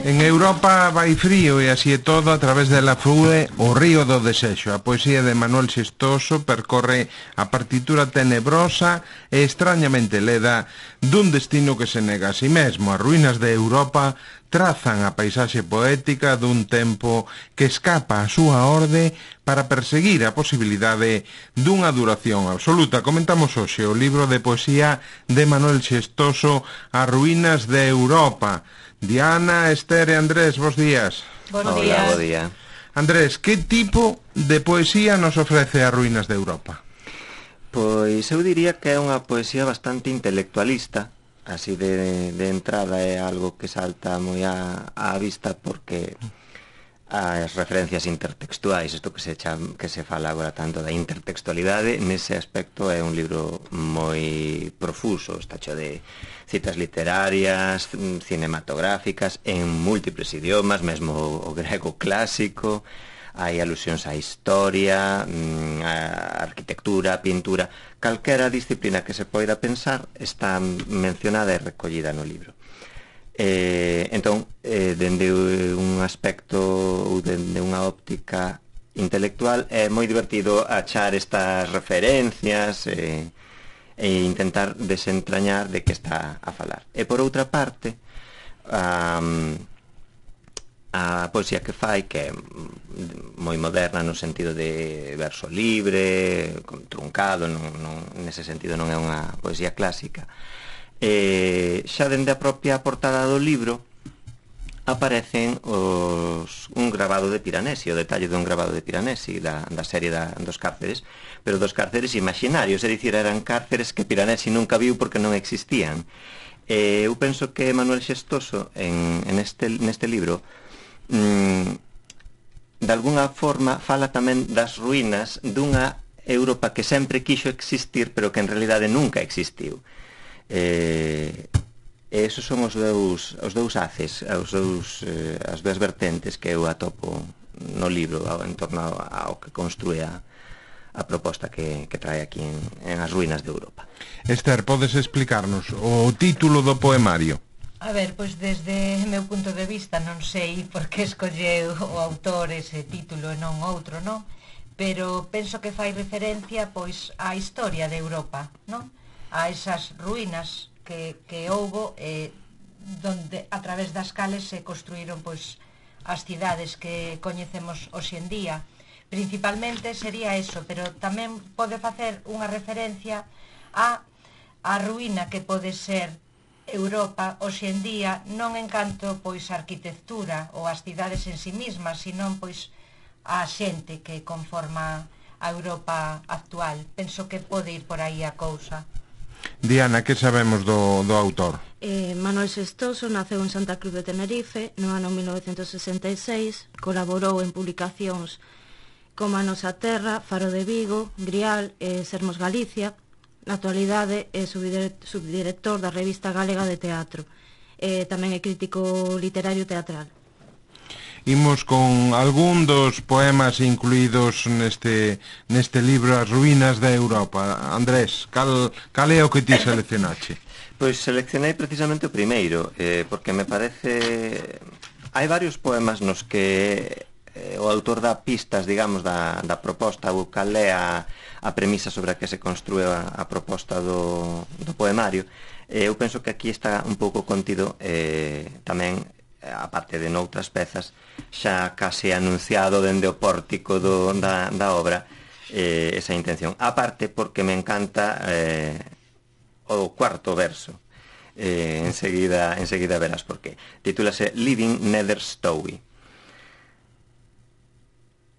En Europa vai frío e así é todo, a través dela flúe o río do desexo. A poesía de Manuel Xestoso percorre a partitura tenebrosa e extrañamente leda dun destino que se nega a si mesmo. As ruínas de Europa trazan a paisaxe poética dun tempo que escapa a súa orde para perseguir a posibilidade dunha duración absoluta. Comentamos hoxe o libro de poesía de Manuel Xestoso, As ruínas de Europa. Diana, Esther e Andrés, bos días. Hola, bo día. Andrés, que tipo de poesía nos ofrece As ruínas de Europa? Pois eu diría que é unha poesía bastante intelectualista, así de entrada é algo que salta moi á vista porque as referencias intertextuais, isto que se fala agora tanto da intertextualidade, nese aspecto é un libro moi profuso, está cheo de citas literarias, cinematográficas, en múltiples idiomas, mesmo o grego clásico, hai alusións á historia, á arquitectura, á pintura, calquera disciplina que se poida pensar está mencionada e recollida no libro. Entón, dende un aspecto ou dende unha óptica intelectual é moi divertido achar estas referencias e intentar desentrañar de que está a falar. E por outra parte, a poesía que fai, que é moi moderna no sentido de verso libre, truncado, nese sentido non é unha poesía clásica, xa dende a propia portada do libro aparecen un grabado de Piranesi, o detalle dun grabado de Piranesi da serie dos cárceres, pero dos cárceres imaginarios, é dicir, eran cárceres que Piranesi nunca viu porque non existían. Eu penso que Manuel Xestoso neste libro de alguna forma fala tamén das ruínas dunha Europa que sempre quixo existir pero que en realidade nunca existiu. Esos son os dous haces, as dúas vertentes que eu atopo no libro en torno ao que construe a proposta que trae aquí en As ruínas de Europa. Esther, podes explicarnos o título do poemario? A ver, pois desde meu punto de vista non sei por que escolleu o autor ese título e non outro, non? Pero penso que fai referencia pois á historia de Europa, non? A esas ruínas que houbo donde a través das cales se construíron pois as cidades que coñecemos hoxe en día. Principalmente sería eso, pero tamén pode facer unha referencia á ruína que pode ser Europa hoxe en día, non en canto pois a arquitectura ou as cidades en sí mismas, senón pois a xente que conforma a Europa actual. Penso que pode ir por aí a cousa. Diana, que sabemos do autor? Manuel Xestoso naceu en Santa Cruz de Tenerife no ano 1966, colaborou en publicacións como A Nosa Terra, Faro de Vigo, Grial e Sermos Galicia. Na actualidade é subdirector da Revista Galega de Teatro. Tamén é crítico literario teatral. Imos con algún dos poemas incluídos neste libro As ruínas de Europa. Andrés, cal é o que ti seleccionache? Pois seleccionei precisamente o primeiro, porque me parece... Hai varios poemas nos que o autor dá pistas, digamos, da proposta, ou cal é a premisa sobre a que se construe a proposta do poemario. Eu penso que aquí está un pouco contido tamén, aparte de noutras pezas, xa case anunciado dende o pórtico da obra, esa intención. Aparte porque me encanta o cuarto verso. Enseguida verás por qué. Titúlase Living Nether Stowey.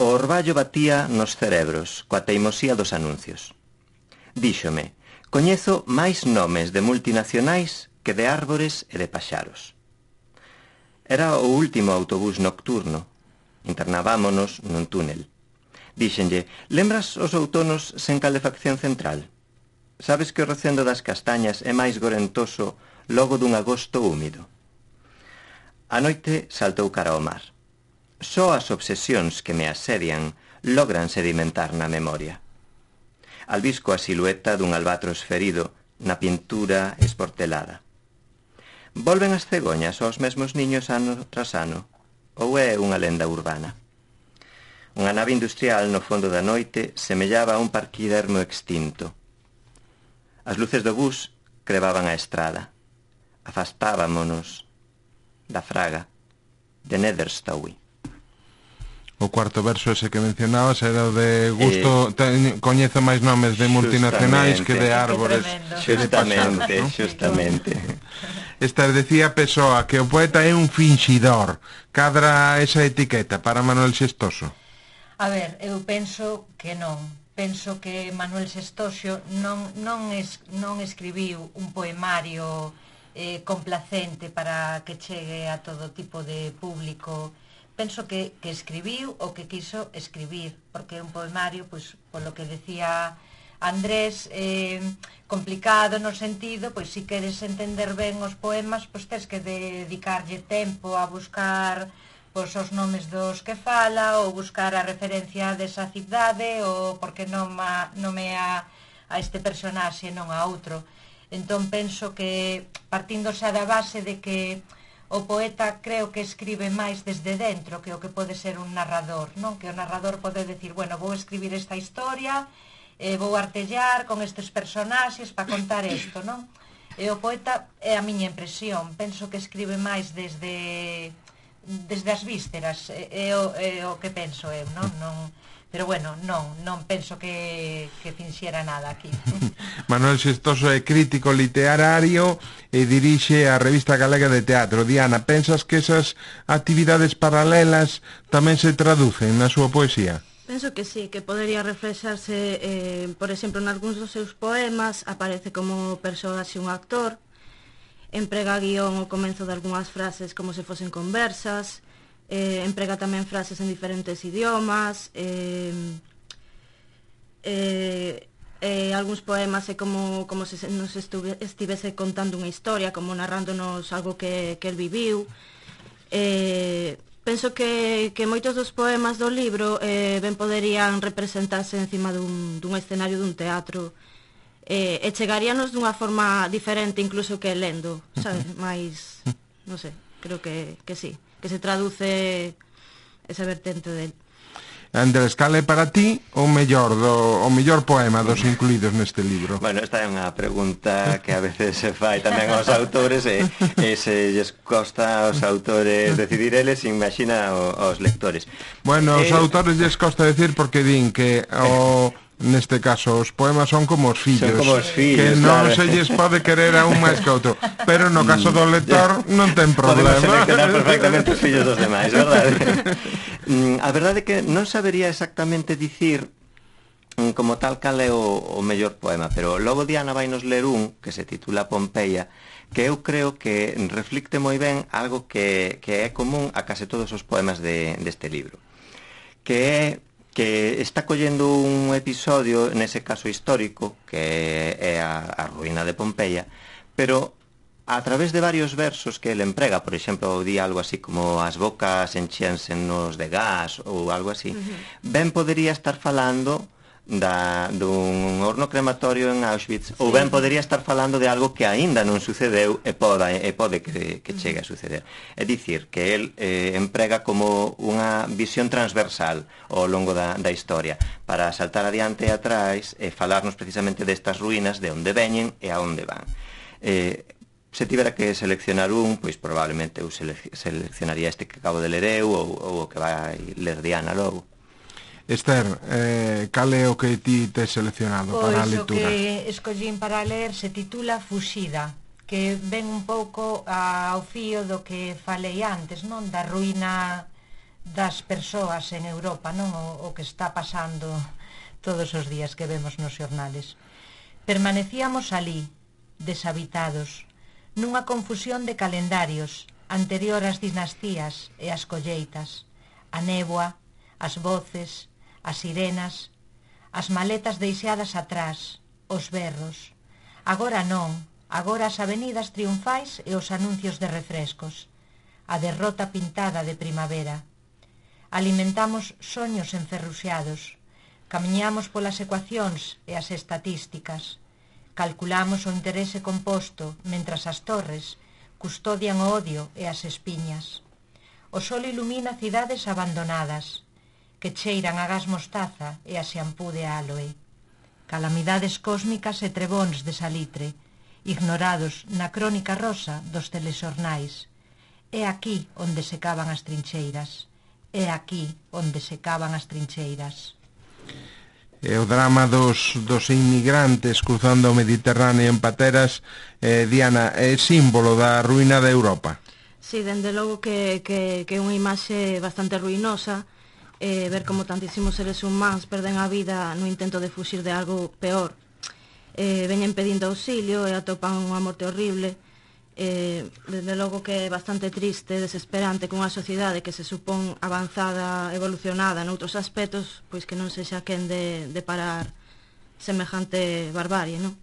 O orballo batía nos cerebros coa teimosía dos anuncios. Díxome, coñezo máis nomes de multinacionais que de árbores e de paxaros. Era o último autobús nocturno. Internábámonos nun túnel. Díxenlle, lembras os outonos sen calefacción central? Sabes que o recendo das castañas é máis gorentoso logo dun agosto húmido? A noite saltou cara ao mar. Só as obsesións que me asedian logran sedimentar na memoria. Albisco a silueta dun albatros ferido na pintura esportelada. Volven as cegoñas aos mesmos niños ano tras ano? Ou é unha lenda urbana? Unha nave industrial no fondo da noite semellaba a un parquidermo extinto. As luces do bus crebaban a estrada. Afastábamonos da fraga de Netherstowe. O cuarto verso ese que mencionabas era o de gusto, coñezo máis nomes de multinacionais que de árbores. Justamente. Esta decía Pessoa que o poeta é un finxidor. Cadra esa etiqueta para Manuel Xestoso? A ver, eu penso que non. Penso que Manuel Xestoso non escribiu un poemario complacente para que chegue a todo tipo de público. Penso que escribiu o que quiso escribir, porque é un poemario, pois, polo que decía Andrés, complicado no sentido, pois, se queres entender ben os poemas, pois tens que dedicarlle tempo a buscar pois, os nomes dos que fala, ou buscar a referencia desa cidade, ou porque nomea a este personaxe, non a outro. Entón, penso que, partindo xa da base de que o poeta creo que escribe máis desde dentro que o que pode ser un narrador, non? Que o narrador pode decir, bueno, vou escribir esta historia, vou artellar con estes personaxes para contar isto, non? E o poeta, é a miña impresión, penso que escribe máis desde as vísceras, é o que penso eu, non? Pero bueno, non penso que finxiera nada aquí. Manuel Xestoso é crítico literario e dirixe a revista galega de teatro. Diana, pensas que esas actividades paralelas tamén se traducen na súa poesía? Penso que sí, que podería reflexarse, por exemplo, en algúns dos seus poemas, aparece como personaxe un actor, emprega guión ao comenzo de algunhas frases como se fosen conversas, emprega tamén frases en diferentes idiomas, algúns poemas é como se nos estivese contando unha historia, como narrándonos algo que el viviu. Penso que moitos dos poemas do libro ben poderían representarse encima dun escenario dun teatro, e chegaríanos dunha forma diferente incluso que lendo, sabes? Mais, non sei, creo que sí, que se traduce esa vertente del. Andrés, cal é para ti o mellor poema dos incluídos neste libro? Bueno, esta é unha pregunta que a veces se fai tamén aos autores e se lles costa aos autores decidir eles, imagina aos lectores. Bueno, aos autores lles costa decir porque din que neste caso os poemas son como os fillos, que non se lles pode querer a un máis que a outro, pero no caso do lector non ten problema. Podemos seleccionar perfectamente os fillos dos demais, verdade? A verdade é que non sabería exactamente dicir como tal cal é o mellor poema, pero logo Diana vai nos ler un que se titula Pompeia, que eu creo que reflicte moi ben algo que é común a case todos os poemas deste libro, que está collendo un episodio, nese caso histórico, que é a ruína de Pompeia, pero a través de varios versos que ele emprega, por exemplo, di algo así como as bocas enchíansenos de gas ou algo así, ben podería estar falando dun horno crematorio en Auschwitz, ou ben podería estar falando de algo que aínda non sucedeu e pode que chegue a suceder. É dicir, que el emprega como unha visión transversal ao longo da historia, para saltar adiante e atrás e falarnos precisamente destas ruínas, de onde veñen e a onde van. Se tivera que seleccionar un, pois probablemente eu seleccionaría este que acabo de ler eu ou o que vai ler Diana logo. Esther, cal é o que ti tes seleccionado para a lectura? Pois o que escollín para ler se titula Fuxida, que ven un pouco ao fío do que falei antes, non? Da ruína das persoas en Europa, non? O que está pasando todos os días que vemos nos xornales. Permanecíamos alí, deshabitados, nunha confusión de calendarios, anterior ás dinastías e ás colleitas, a néboa, as voces, as sirenas, as maletas deixadas atrás, os berros. Agora non, agora as avenidas triunfais e os anuncios de refrescos, a derrota pintada de primavera. Alimentamos soños enferruxados, camiñamos polas ecuacións e as estatísticas, calculamos o interese composto mentras as torres, custodian o odio e as espiñas. O sol ilumina cidades abandonadas, que cheiran a gas mostaza e a xampú de áloe. Calamidades cósmicas e trebóns de salitre, ignorados na crónica rosa dos telexornais. É aquí onde se cavan as trincheiras. É aquí onde se cavan as trincheiras. E o drama dos inmigrantes cruzando o Mediterráneo en pateras, Diana, é símbolo da ruína de Europa. Sí, dende logo que é unha imaxe bastante ruinosa, ver como tantísimos seres humanos perden a vida no intento de fuxir de algo peor. Veñen pedindo auxilio e atopan unha morte horrible. Dende logo que é bastante triste, desesperante que unha sociedade que se supón avanzada, evolucionada noutros aspectos, pois que non sexa quen de parar semejante barbarie, non?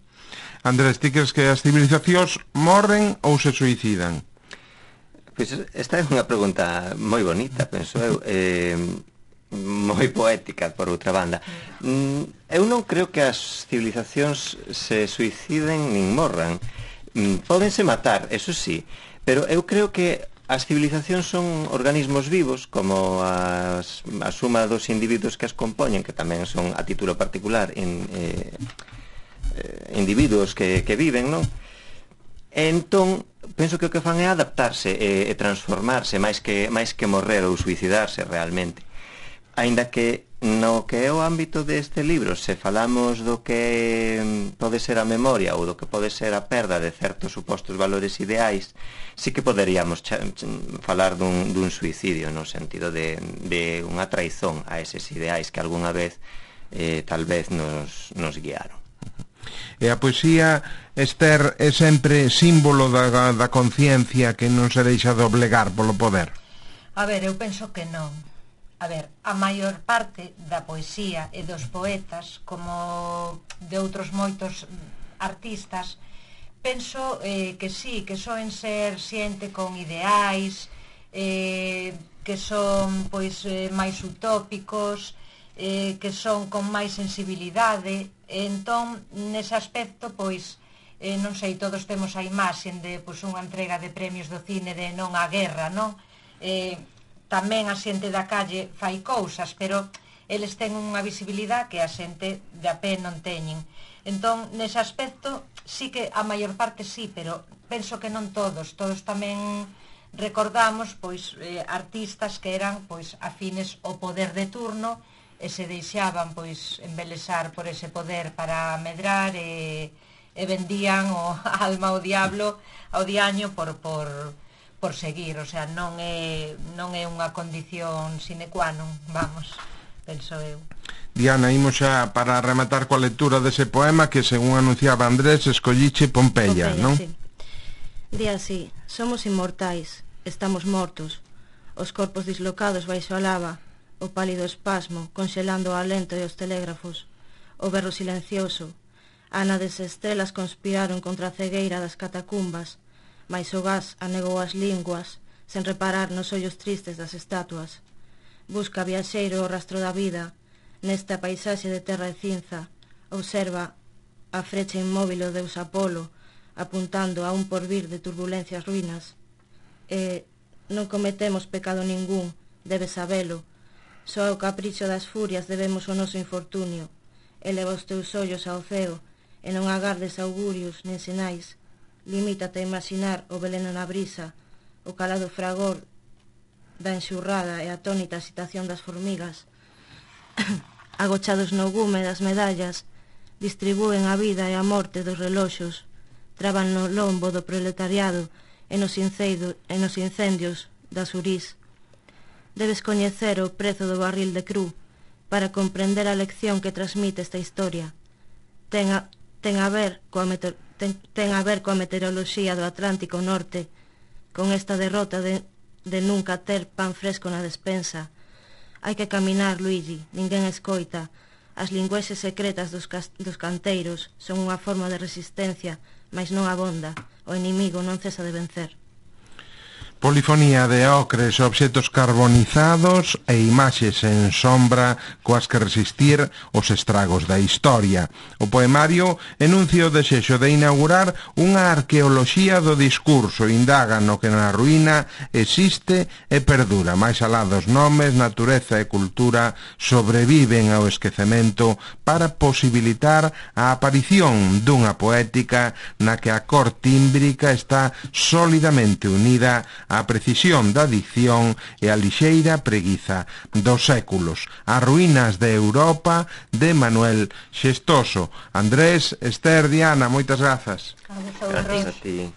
Andrés, ti crees que as civilizacións morren ou se suicidan? Pois esta é unha pregunta moi bonita, penso eu, moi poética, por outra banda. Eu non creo que as civilizacións se suiciden nin morran. Pódense matar, eso sí, pero eu creo que as civilizacións son organismos vivos, como a suma dos individuos que as compoñen, que tamén son a título particular individuos que viven, non? E entón, penso que o que fan é adaptarse e transformarse máis que morrer ou suicidarse realmente. Aínda que no que é o ámbito deste libro, se falamos do que pode ser a memoria ou do que pode ser a perda de certos supostos valores ideais, sí que poderíamos falar dun suicidio, no sentido de unha traizón a eses ideais que algunha vez tal vez nos guiaron. E a poesía, Esther, é sempre símbolo da conciencia que non se deixa doblegar polo poder? A ver, eu penso que non. A ver, a maior parte da poesía e dos poetas, como de outros moitos artistas, penso que sí, que soen ser xente con ideais, que son pois máis utópicos, que son con máis sensibilidade, e entón, nese aspecto, pois, non sei, todos temos a imaxe de pois, unha entrega de premios do cine de non á guerra, non? Tamén a xente da calle fai cousas, pero eles ten unha visibilidade que a xente de a pé non teñen. Entón, nese aspecto, sí que a maior parte sí, pero penso que non todos. Todos tamén recordamos pois artistas que eran pois afines ao poder de turno e se deixaban pois embelesar por ese poder para medrar e vendían o alma ao diablo, ao diaño por seguir, o sea, non é unha condición sine qua non, vamos, penso eu. Diana, imos xa para rematar coa lectura dese poema que, según anunciaba Andrés, escolliche Pompeia, non? Sí. Di así: somos inmortais, estamos mortos, os corpos dislocados baixo a lava, o pálido espasmo, conxelando o alento e os telégrafos, o berro silencioso, ánades e estrelas conspiraron contra a cegueira das catacumbas, mais o gas anegou as linguas, sen reparar nos ollos tristes das estatuas. Busca viaxeiro o rastro da vida, nesta paisaxe de terra e cinza, observa a frecha inmóvil o deus Apolo, apuntando a un porvir de turbulencias ruínas. E non cometemos pecado ningún, debes sabelo, só ao capricho das furias debemos o noso infortunio. Eleva os teus ollos ao ceo, e non agardes augurios nen sinais. Limítate a imaginar o veleno na brisa, o calado fragor da enxurrada e a atónita excitación das formigas. Agochados no gume das medallas, distribúen a vida e a morte dos reloxos, traban no lombo do proletariado e nos incendios das urís. Debes coñecer o prezo do barril de cru para comprender a lección que transmite esta historia. Ten a ver coa meteoroloxía do Atlántico Norte, con esta derrota de nunca ter pan fresco na despensa. Hai que caminar, Luigi, ninguén escoita. As lingüexes secretas dos canteiros son unha forma de resistencia, mas non abonda. O inimigo non cesa de vencer. Polifonía de ocres, obxetos carbonizados e imaxes en sombra coas que resistir os estragos da historia. O poemario enuncia o desexo de inaugurar unha arqueoloxía do discurso, indaga no que na ruína existe e perdura. Máis alá dos nomes, natureza e cultura sobreviven ao esquecemento para posibilitar a aparición dunha poética na que a cor tímbrica está sólidamente unida a precisión da dicción e a lixeira preguiza dos séculos. As ruínas de Europa, de Manuel Xestoso. Andrés, Esther, Diana, moitas grazas. Grazas a ti.